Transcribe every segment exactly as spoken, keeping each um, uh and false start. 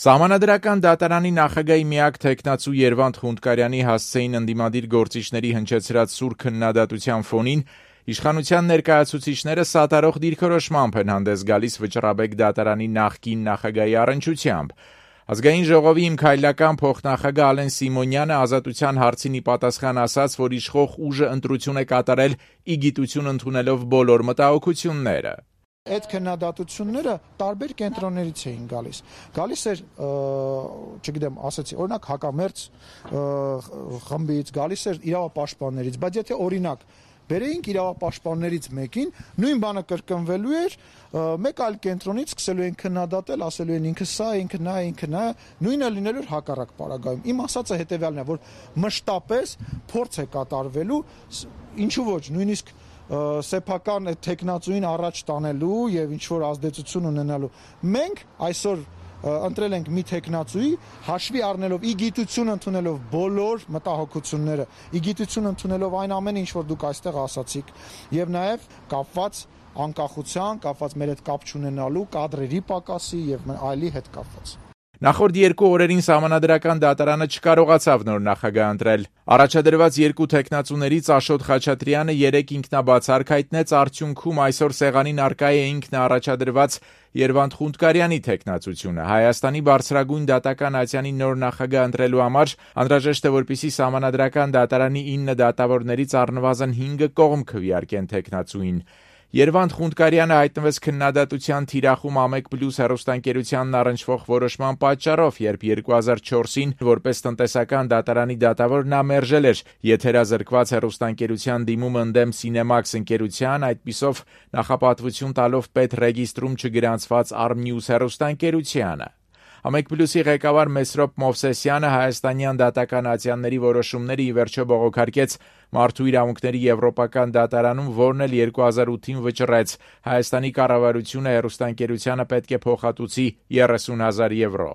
Սահմանադրական դատարանի նախագահի միակ թեկնածու Երվանդ Խունդկարյանի հասցեին ընդդիմադիր գործիչների հնչեցրած սուր քննադատության ֆոնին իշխանության ներկայացուցիչները սատարող դիրքորոշմամբ են հանդես գալիս Վճռաբեկ դատարանի նախկին նախագահի առնչությամբ։ Ազգային ժողովի իմ քայլական փոխնախագահ Ալեն Սիմոնյանը ազատության հարցին ի պատասխան ասաց, որ իշխող ուժը ընտրություն է կատարել ի գիտություն ընդունելով բոլոր մտահոգությունները։ Այդ քննադատությունները տարբեր կենտրոններից էին գալիս։ Գալիս էր, չգիտեմ, ասեցի, օրինակ հակամերձ խմբից, գալիս էր իրավապաշտպաններից, բայց եթե օրինակ բերեինք իրավապաշտպաններից մեկին, նույն բանը կրկնվելու էր, մեկ այլ կենտրոնից սկսելու են քննադատել, ասելու են ինքը սա, ինքը նա, ինքը նա, նույնը լինելու էր հակառակ պարագայում։ Իմ ասածը հետևյալն է, որ մշտապես փորձ է կատարվելու, ինչու ոչ, նույնիսկ սեփական տեխնացուին առաջ տանելու եւ ինչ որ ազդեցություն ունենալու։ Մենք այսօր ընտրել ենք մի տեխնացուի, հաշվի առնելով ի գիտություն ընդունելով բոլոր մտահոգությունները, ի գիտություն ընդունելով այն ամենը, ինչ որ դուք այստեղ ասացիք, եւ նաեւ կապված անկախության, կապված մեր հետ կապ չունենալու կադրերի պակասի եւ այլի հետ կապված։ Նախորդ երկու օրերին Սահմանադրական դատարանը չկարողացավ նոր նախագահ ընտրել։ Առաջադրված երկու տեխնացուներից Աշոտ Խաչատրյանը երեք ինքնաբացարկ հայտնեց, արդյունքում այսօր սեղանին առկա է ինքնաառաջադրված Երվանդ Խունդկարյանի տեխնացությունը։ Հայաստանի բարձրագույն դատական ատյանի նոր նախագահ ընտրելու համար անհրաժեշտ է, որպեսզի Սահմանադրական դատարանի ինը դատավորներից առնվազն հինգը կողմ քվեարկեն տեխնացուին։ Երվանդ Խունդկարյանը հայտնվեց քննադատության թիրախում Ամեկ Պլյուս հեռուստաընկերությանն առնչվող որոշման պատճառով, երբ երկու հազար չորսին որպես տնտեսական դատարանի դատավոր նա մերժել էր եթերազրկված հեռուստաընկերության դիմումը ընդդեմ Cinemax ընկերության, այդպիսով նախապատվություն տալով պետռեգիստրում չգրանցված Armnews հեռուստաընկերությանը։ Ամեկ Պլյուսի ղեկավար Մեսրոպ Մովսեսյանը հայաստանյան դատական ատյանների որոշումները ի վերջո բողոքարկեց Մարդու իրավունքների եվրոպական դատարանում, որն էլ երկու հազար ութին վճռեց Հայաստանի կառավարությունը հեռուստաընկերությանը պետք է փոխհատուցի երեսուն հազար եվրո։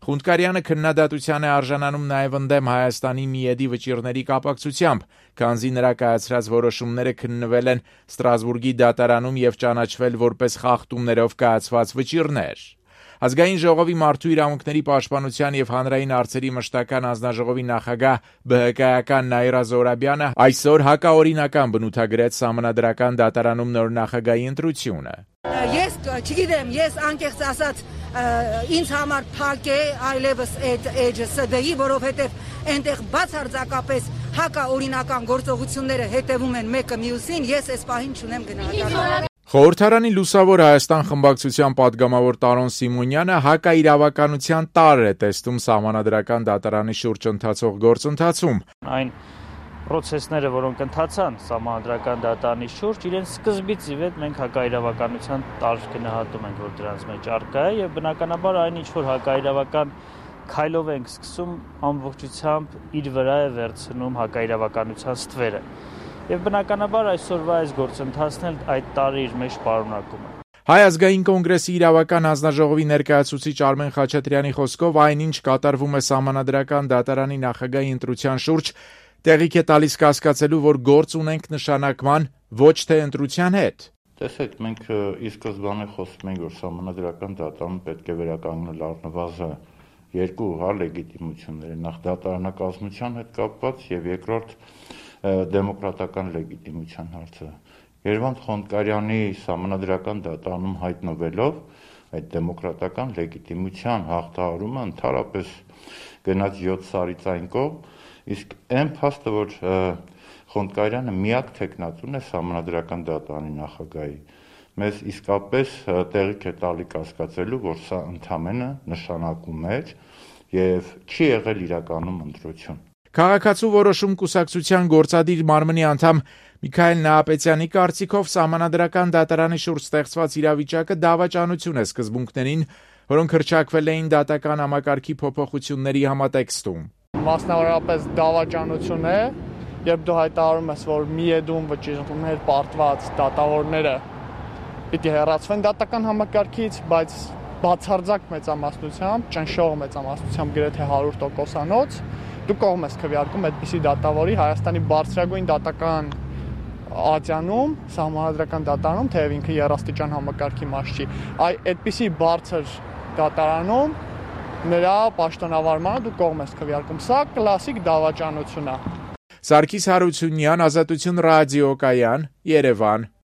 Խունդկարյանը քննադատության է արժանանում նաև ընդդեմ Հայաստանի միեդի վճիռների կապակցությամբ, քանզի նրա կայացրած որոշումները քննվել են Ստրասբուրգի դատարանում եւ ճանաչվել որպես խախտումներով կայացված վճիռներ։ Ազգային ժողովի Մարդու իրավունքների պաշտպանության եւ հանրային հարցերի մշտական անձնաժողովի նախագահ ԲՀԿ-ական Նաիրա Զոհրաբյանը այսօր հակաօրինական բնութագրեց Սահմանադրական դատարանում նոր նախագահի ընտրությունը։ Ես չգիտեմ, ես անկեղծ ասած ինձ համար փակ է այլևս այդ էջը ՍԴ-ի, որովհետեւ այնտեղ բացարձակապես հակաօրինական գործողությունները հետևում են մեկը մյուսին, ես այս պահին չունեմ գնահատական։ Խորհրդարանի Լուսավոր Հայաստան խմբակցության падգամավոր Տարոն Սիմոնյանը հակաիրավականության տարր է տեսնում Սահմանադրական դատարանի շուրջ ընթացող գործընթացում։ Այն պրոցեսները, որոնք ընթացան Սահմանադրական դատարանի շուրջ, իրենց սկզբից ի վեր մենք հակաիրավականության տարր գնահատում ենք, որ դրանց մեջ առկա է, եւ բնականաբար այն ինչ որ հակաիրավական քայլով ենք սկսում, ամբողջությամբ իր վրա է վերցնում հակաիրավականության ստվերը։ Եվ բնականաբար այսօրվա այս գործընթացն էլ այդ տարի իր մեջ պարունակում է։ Հայ ազգային կոնգրեսի իրավական հանձնաժողովի ներկայացուցիչ Արմեն Խաչատրյանի խոսքով այնինչ կատարվում է Սահմանադրական դատարանի նախագահի ընտրության շուրջ, տեղիք է տալիս կասկածելու, որ գործ ունենք նշանակման, ոչ թե ընտրության հետ։ Տեսեք, մենք ի սկզբանե խոսում ենք, որ Սահմանադրական դատարանը պետք է վերականգնել առնվազն երկու հա լեգիտիմությունները, նախ դատարանակազմության հետ կապված եւ երկրորդ դեմոկրատական լեգիտիմության հարցը։ Երվանդ Խունդկարյանի Սահմանադրական դատարանում հայտնվելով այդ դեմոկրատական լեգիտիմության հաղթահարումը ընդհանրապես գնաց յոթ սարից այն կողմ, իսկ այն փաստը, որ Խունդկարյանը միակ տեխնացուն է Սահմանադրական դատարանի նախագահի, մեզ իսկապես տեղիք է տալի կասկածելու, որ սա ընդամենը նշանակում էր եւ չի եղել իրականում ընտրություն։ Քաղաքացու որոշում կուսակցության գործադիր մարմնի անդամ Միքայել Նահապետյանի կարծիքով Սահմանադրական դատարանի շուրջ ստեղծված իրավիճակը դավաճանություն է սկզբունքներին, որոնք հռչակվել էին դատական համակարգի փոփոխությունների համատեքստում։ Մասնավորապես դավաճանություն է, երբ դու հայտարարում ես, որ միեդում վճիռներ պարտված դատավորները պիտի հեռացվեն դատական համակարգից, բայց բացարձակ մեծամասնությամբ, ճնշող մեծամասնությամբ գրեթե հարյուր տոկոսանոց դու կողմ ես քվեարկում այդպիսի դատավորի Հայաստանի բարձրագույն դատական ատյանում, Սահմանադրական դատարանում, թեև ինքը երաստիճան համակարգի մաս չի, այ այդպիսի բարձր դատարանում նրա պաշտոնավարմանը դու կողմ ես քվեարկում։ Սա կլասիկ դավաճանություն է։ Սարգիս Հարությունյան, Ազատություն ռադիոկայան, Երևան։